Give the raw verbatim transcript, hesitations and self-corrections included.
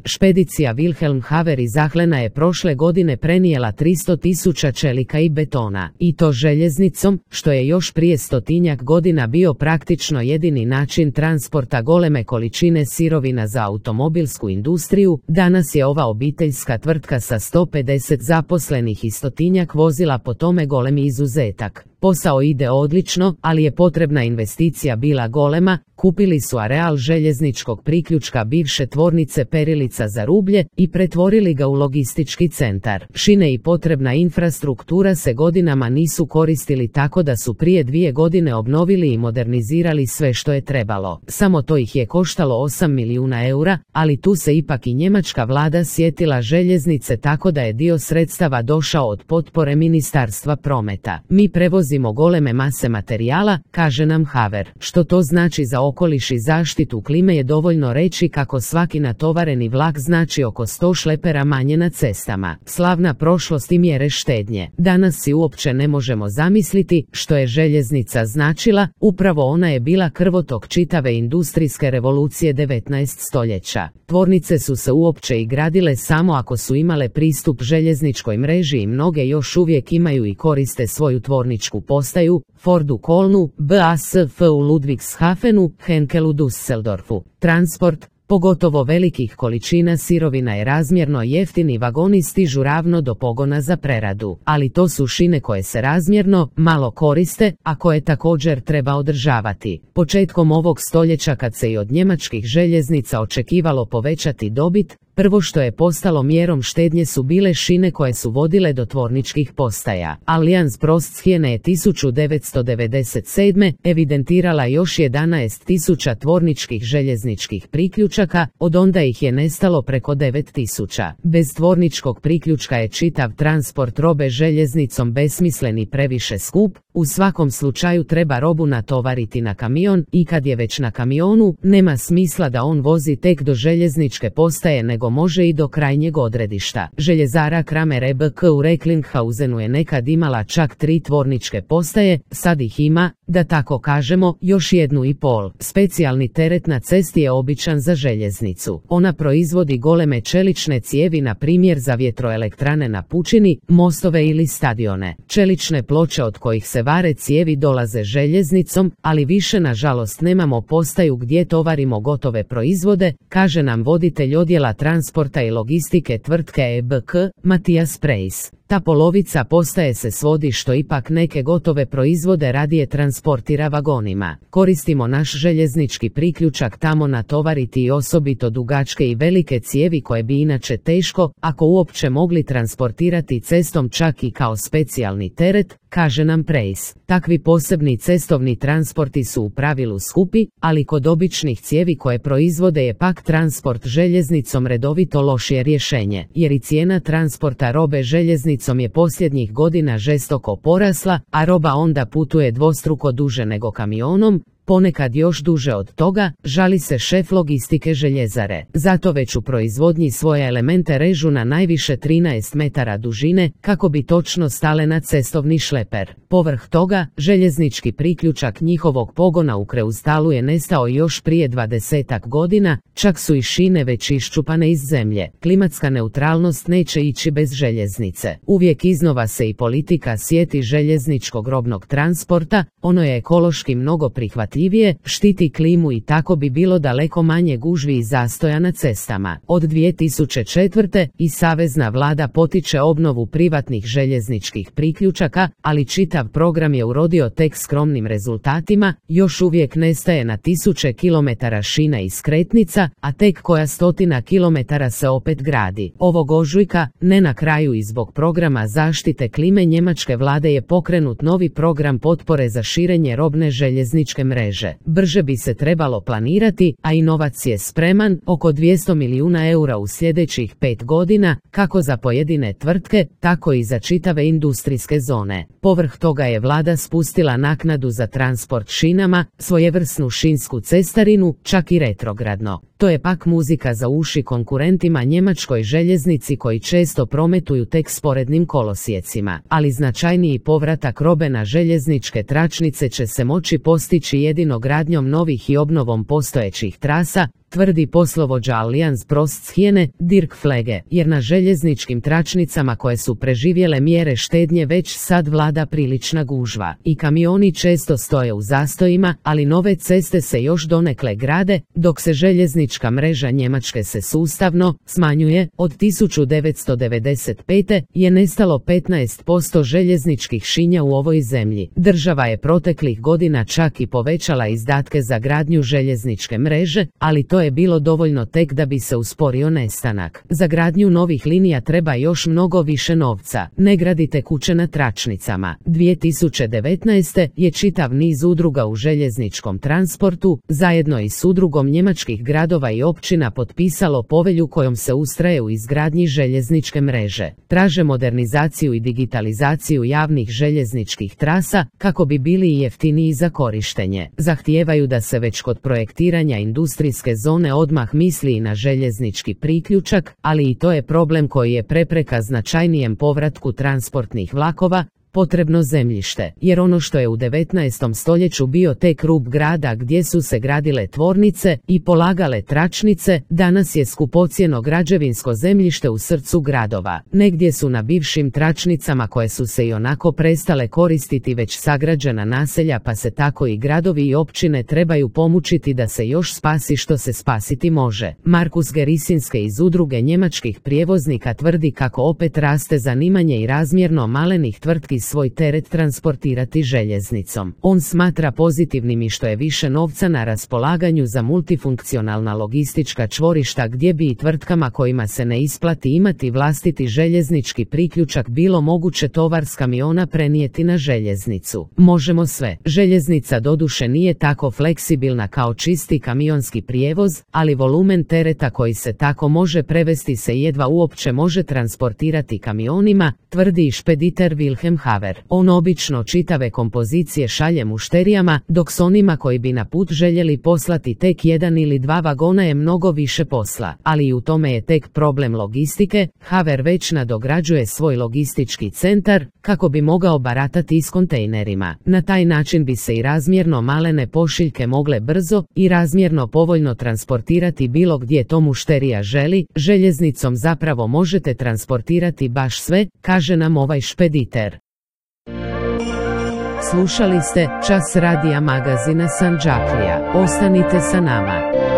Špedicija Wilhelm Haver iz Ahlena je prošle godine prenijela tristo tisuća čelika i betona, i to željeznicom, što je još prije stotinjak godina bio praktično jedini način transporta goleme količine sirovina za automobilsku industriju. Danas je ova obiteljska tvrtka sa sto pedeset zaposlenih i stotinjak vozila po tome golemi izuzetak. Posao ide odlično, ali je potrebna investicija bila golema. Kupili su areal željezničkog priključka bivše tvornice perilica za rublje i pretvorili ga u logistički centar. Šine i potrebna infrastruktura se godinama nisu koristili, tako da su prije dvije godine obnovili i modernizirali sve što je trebalo. Samo to ih je koštalo osam milijuna eura, ali tu se ipak i njemačka vlada sjetila željeznice, tako da je dio sredstava došao od potpore Ministarstva prometa. Mi prevozimo goleme mase materijala, kaže nam Haver. Što to znači za okoliš i zaštitu klime je dovoljno reći kako svaki natovareni vlak znači oko sto šlepera manje na cestama. Slavna prošlost i mjere štednje. Danas si uopće ne možemo zamisliti što je željeznica značila. Upravo ona je bila krvotok čitave industrijske revolucije devetnaestog stoljeća. Tvornice su se uopće i gradile samo ako su imale pristup željezničkoj mreži i mnoge još uvijek imaju i koriste svoju tvorničku postaju, Ford u Kolnu, B A S F u Ludwigshafenu, Henkel u Düsseldorfu. Transport, pogotovo velikih količina sirovina, je razmjerno jeftin i vagoni stižu ravno do pogona za preradu, ali to su šine koje se razmjerno malo koriste, a koje također treba održavati. Početkom ovog stoljeća, kad se i od njemačkih željeznica očekivalo povećati dobit, prvo što je postalo mjerom štednje su bile šine koje su vodile do tvorničkih postaja. Allianz Prosthijene je tisuću devetsto devedeset sedme. evidentirala još jedanaest tisuća tvorničkih željezničkih priključaka, od onda ih je nestalo preko devet tisuća. Bez tvorničkog priključka je čitav transport robe željeznicom besmislen i previše skup. U svakom slučaju treba robu natovariti na kamion, i kad je već na kamionu, nema smisla da on vozi tek do željezničke postaje, nego može i do krajnjeg odredišta. Željezara Kramer E B K u Recklinghausen je nekad imala čak tri tvorničke postaje, sad ih ima, da tako kažemo, još jednu i pol. Specijalni teret na cesti je običan za željeznicu. Ona proizvodi goleme čelične cijevi, na primjer za vjetroelektrane na pučini, mostove ili stadione. Čelične ploče od kojih se vare cijevi dolaze željeznicom, ali više nažalost nemamo postaju gdje tovarimo gotove proizvode, kaže nam voditelj odjela transporta i logistike tvrtke E B K, Matijas Prejs. Ta polovica postaje se svodi što ipak neke gotove proizvode radije transportira vagonima. Koristimo naš željeznički priključak tamo natovariti i osobito dugačke i velike cijevi koje bi inače teško, ako uopće, mogli transportirati cestom, čak i kao specijalni teret, kaže nam Prejs. Takvi posebni cestovni transporti su u pravilu skupi, ali kod običnih cijevi koje proizvode je pak transport željeznicom redovito lošije rješenje, jer i cijena transporta robe željeznicom je posljednjih godina žestoko porasla, a roba onda putuje dvostruko duže nego kamionom, ponekad još duže od toga, žali se šef logistike željezare. Zato već u proizvodnji svoje elemente režu na najviše trinaest metara dužine, kako bi točno stale na cestovni šleper. Povrh toga, željeznički priključak njihovog pogona u Kreustalu je nestao još prije dvadesetak godina, čak su i šine već iščupane iz zemlje. Klimatska neutralnost neće ići bez željeznice. Uvijek iznova se i politika sjeti željezničkog robnog transporta, ono je ekološki mnogo prihvatljivije, štiti klimu i tako bi bilo daleko manje gužvi i zastoja na cestama. Od dvije tisuće četvrte. i savezna vlada potiče obnovu privatnih željezničkih priključaka, ali čitav program je urodio tek skromnim rezultatima, još uvijek nestaje na tisuće kilometara šina i skretnica, a tek koja stotina kilometara se opet gradi. Ovog ožujka, ne na kraju i zbog programa zaštite klime njemačke vlade, je pokrenut novi program potpore za širenje robne željezničke mreže. Brže bi se trebalo planirati, a i novac je spreman, oko dvjesto milijuna eura u sljedećih pet godina, kako za pojedine tvrtke, tako i za čitave industrijske zone. Povrh toga je vlada spustila naknadu za transport šinama, svojevrsnu šinsku cestarinu, čak i retrogradno. To je pak muzika za uši konkurentima njemačkoj željeznici, koji često prometuju tek sporednim kolosijecima, ali značajniji povratak robe na željezničke tračnice će se moći postići jedino gradnjom novih i obnovom postojećih trasa, tvrdi poslovođa Allianz Prostshijene, Dirk Flege, jer na željezničkim tračnicama koje su preživjele mjere štednje već sad vlada prilična gužva i kamioni često stoje u zastojima, ali nove ceste se još donekle grade, dok se željeznička mreža Njemačke se sustavno smanjuje. Od tisuću devetsto devedeset pete je nestalo petnaest posto željezničkih šinja u ovoj zemlji. Država je proteklih godina čak i povećala izdatke za gradnju željezničke mreže, ali to je bilo dovoljno tek da bi se usporio nestanak. Za gradnju novih linija treba još mnogo više novca. Ne gradite kuće na tračnicama. dvije tisuće devetnaeste. je čitav niz udruga u željezničkom transportu, zajedno i s udrugom njemačkih gradova i općina potpisalo povelju kojom se ustraje u izgradnji željezničke mreže. Traže modernizaciju i digitalizaciju javnih željezničkih trasa, kako bi bili i jeftiniji za korištenje. Zahtijevaju da se već kod projektiranja industrijske zone odmah misli i na željeznički priključak, ali i to je problem koji je prepreka značajnijem povratku transportnih vlakova, potrebno zemljište, jer ono što je u devetnaestom stoljeću bio tek rub grada gdje su se gradile tvornice i polagale tračnice, danas je skupocjeno građevinsko zemljište u srcu gradova. Negdje su na bivšim tračnicama koje su se i onako prestale koristiti već sagrađena naselja, pa se tako i gradovi i općine trebaju pomučiti da se još spasi što se spasiti može. Markus Gerisinske iz udruge njemačkih prijevoznika tvrdi kako opet raste zanimanje i razmjerno malenih tvrtki svoj teret transportirati željeznicom. On smatra pozitivnim i što je više novca na raspolaganju za multifunkcionalna logistička čvorišta gdje bi i tvrtkama kojima se ne isplati imati vlastiti željeznički priključak bilo moguće tovar s kamiona prenijeti na željeznicu. Možemo sve. Željeznica doduše nije tako fleksibilna kao čisti kamionski prijevoz, ali volumen tereta koji se tako može prevesti se jedva uopće može transportirati kamionima, tvrdi i špediter Wilhelm Haver. On obično čitave kompozicije šalje mušterijama, dok s onima koji bi na put željeli poslati tek jedan ili dva vagona je mnogo više posla, ali i u tome je tek problem logistike. Haver već nadograđuje svoj logistički centar, kako bi mogao baratati s kontejnerima. Na taj način bi se i razmjerno malene pošiljke mogle brzo i razmjerno povoljno transportirati bilo gdje to mušterija želi. Željeznicom zapravo možete transportirati baš sve, kaže nam ovaj špediter. Slušali ste Čas radija magazina Sandžaklija. Ostanite sa nama.